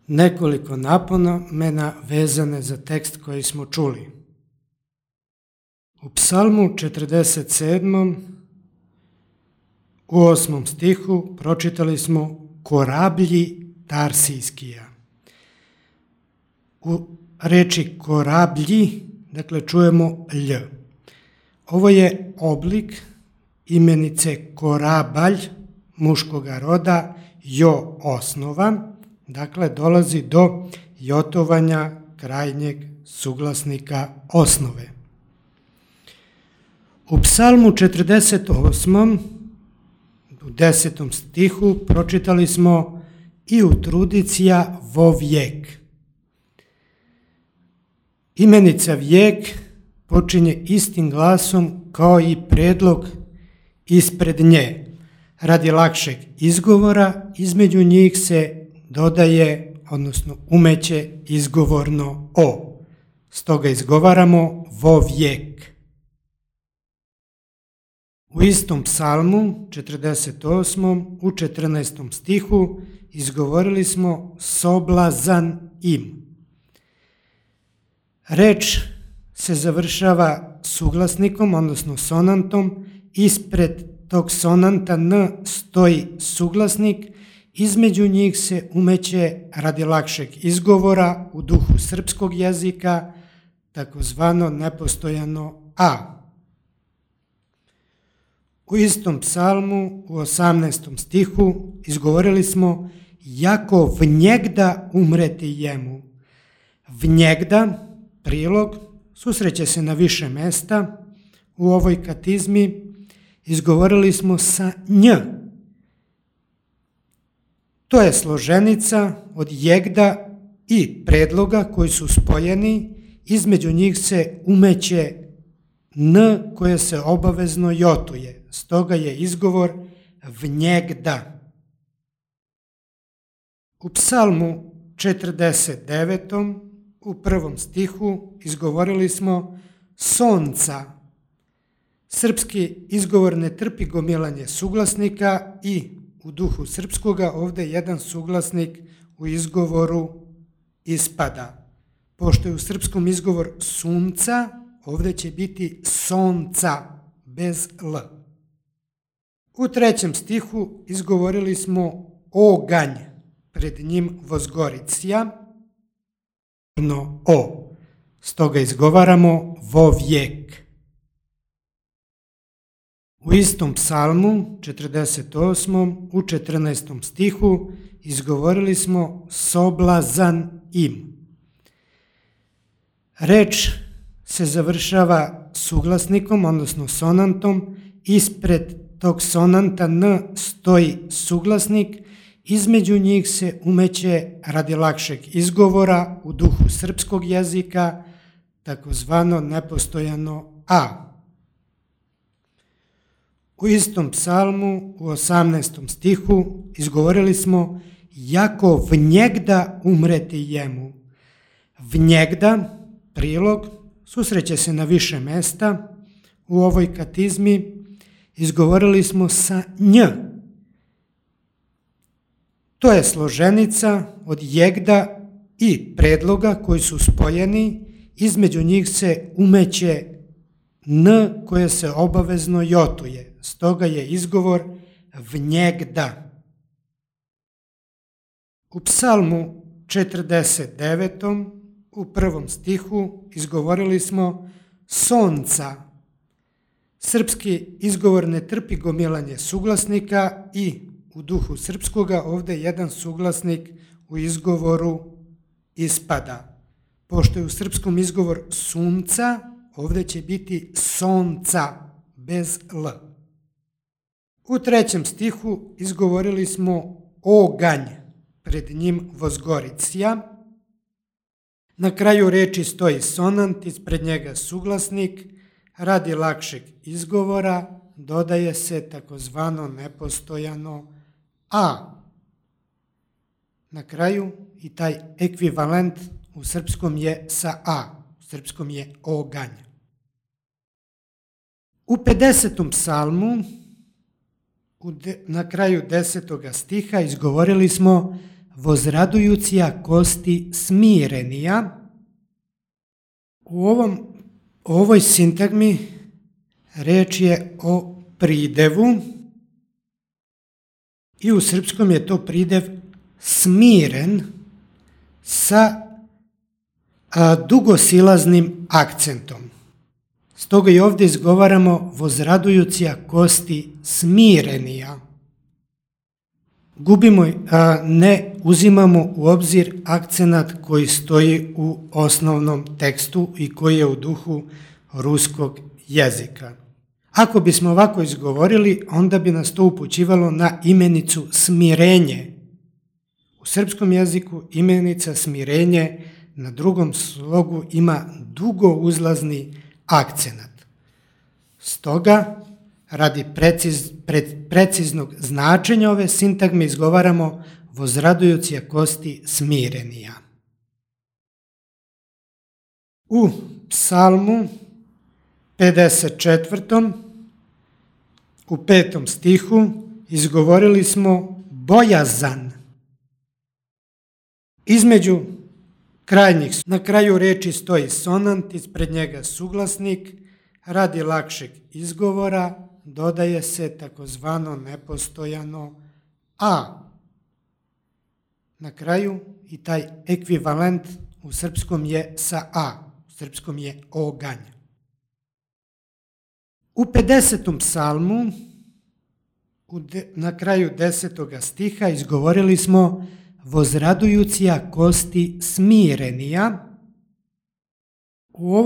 Nekoliko napomena vezane za tekst koji smo čuli. U Psalmu 47. u 8. stihu pročitali smo korablji Tarsijskija. U reči korablji, dakle, čujemo lj. Ovo je oblik imenice korabalj muškoga roda jo osnova, dakle dolazi do jotovanja krajnjeg suglasnika osnove. U Psalmu 48. u 10. stihu pročitali smo i utrudicija vo vijek. Imenica vijek počinje istim glasom kao i predlog ispred nje. Radi lakšeg izgovora između njih se dodaje, odnosno umeće izgovorno o. Stoga izgovaramo vo vijek. U istom psalmu, 48. u 14. stihu, izgovorili smo soblazan im. Reč se završava suglasnikom, odnosno sonantom. Ispred tog sonanta n stoji suglasnik, između njih se umeće radi lakšeg izgovora u duhu srpskog jezika takozvano nepostojano a. U istom psalmu u 18. stihu izgovorili smo jako vnjegda umreti jemu. Vnjegda, prilog, susreće se na više mesta. U ovoj katizmi izgovorili smo sa nj. To je složenica od jegda i predloga koji su spojeni, između njih se umeće n koje se obavezno jotuje, stoga je izgovor vnjegda. U Psalmu 49. u 1. stihu izgovorili smo sonca. Srpski izgovor ne trpi gomilanje suglasnika i u duhu srpskoga ovdje jedan suglasnik u izgovoru ispada. Pošto je u srpskom izgovor sunca, ovdje će biti sonca bez l. U 3. stihu izgovorili smo oganj, pred njim vozgoricija, o. Stoga izgovaramo vo vijek. U istom psalmu, 48. u 14. stihu, izgovorili smo soblazan im. Reč se završava suglasnikom, odnosno sonantom. Ispred tog sonanta n stoji suglasnik, između njih se umeće radi lakšeg izgovora u duhu srpskog jezika takozvano nepostojano a. U istom psalmu u 18. stihu izgovorili smo jako vnjegda umreti jemu. Vnjegda, prilog, susreće se na više mesta. U ovoj katizmi izgovorili smo sa nj. To je složenica od jegda i predloga koji su spojeni, između njih se umeće n koje se obavezno jotuje, stoga je izgovor vnjegda. U Psalmu 49. u 1. stihu izgovorili smo sonca. Srpski izgovor ne trpi gomilanje suglasnika i u duhu srpskoga ovdje jedan suglasnik u izgovoru ispada. Pošto je u srpskom izgovor sunca, ovdje će biti sonca bez l. U 3. stihu izgovorili smo oganj, pred njim vozgoricija. Na kraju reči stoji sonant, ispred njega suglasnik. Radi lakšeg izgovora dodaje se takozvano nepostojano a. Na kraju i taj ekvivalent u srpskom je sa a, u srpskom je oganj. U 50. psalmu na kraju 10. stiha izgovorili smo vozradujucija kosti smirenija. U ovoj sintagmi reč je o pridevu i u srpskom je to pridev smiren sa dugosilaznim akcentom. Stoga i ovdje izgovaramo vozradujucija kosti smirenija. Ne uzimamo u obzir akcenat koji stoji u osnovnom tekstu i koji je u duhu ruskog jezika. Ako bismo ovako izgovorili, onda bi nas to upućivalo na imenicu smirenje. U srpskom jeziku imenica smirenje na drugom slogu ima dugo uzlazni akcenat. Stoga, radi preciznog značenja ove sintagme izgovaramo vozradujucija kosti smirenija. U psalmu 54. u 5. stihu izgovorili smo bojazan. Između na kraju reči stoji sonant, ispred njega suglasnik, radi lakšeg izgovora dodaje se takozvano nepostojano a. Na kraju i taj ekvivalent u srpskom je sa a, u srpskom je oganj. U 50. psalmu na kraju 10. stiha izgovorili smo vozradujucija kosti smirenija. U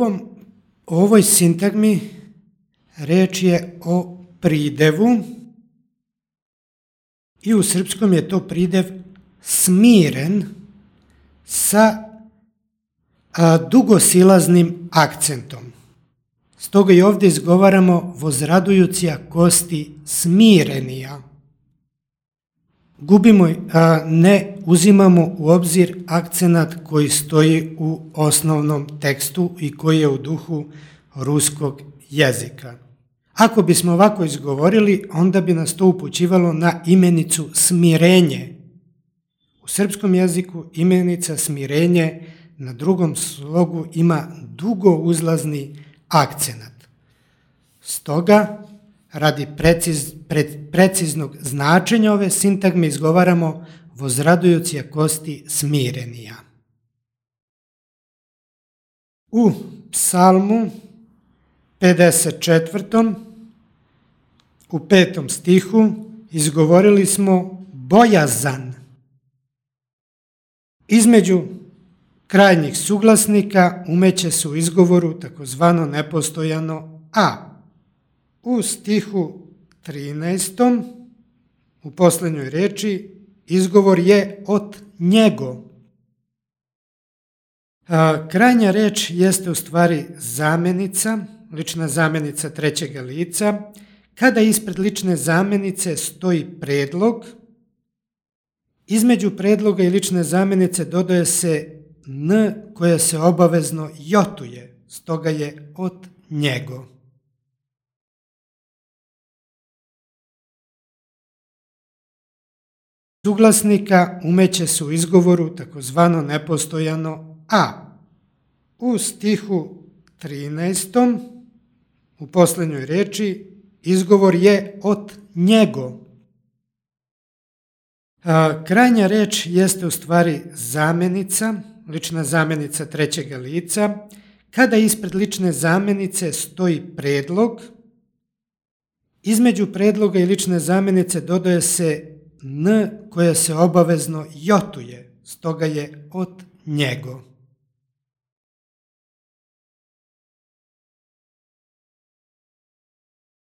ovoj sintagmi reč je o pridevu i u srpskom je to pridev smiren sa dugosilaznim akcentom. Stoga i ovdje izgovaramo vozradujucija kosti smirenija. Ne uzimamo u obzir akcenat koji stoji u osnovnom tekstu i koji je u duhu ruskog jezika. Ako bismo ovako izgovorili, onda bi nas to upućivalo na imenicu smirenje. U srpskom jeziku imenica smirenje na drugom slogu ima dugo uzlazni akcenat. Stoga, radi preciznog značenja ove sintagme izgovaramo vozradujucija kosti smirenija. U psalmu 54. u 5. stihu izgovorili smo bojazan. Između krajnjih suglasnika umeće se u izgovoru takozvano nepostojano a. U stihu 13. u posljednjoj reči izgovor je od njego. Krajnja reč jeste u stvari zamenica, lična zamenica trećega lica. Kada ispred lične zamenice stoji predlog, između predloga i lične zamenice dodaje se n koja se obavezno jotuje, stoga je od njego. Suglasnika umeće se u izgovoru takozvano nepostojano a. U stihu 13. u posljednjoj reči izgovor je od njego. Krajnja reč jeste u stvari zamenica, lična zamenica trećega lica. Kada ispred lične zamenice stoji predlog, između predloga i lične zamenice dodaje se n koja se obavezno jotuje, stoga je od njego.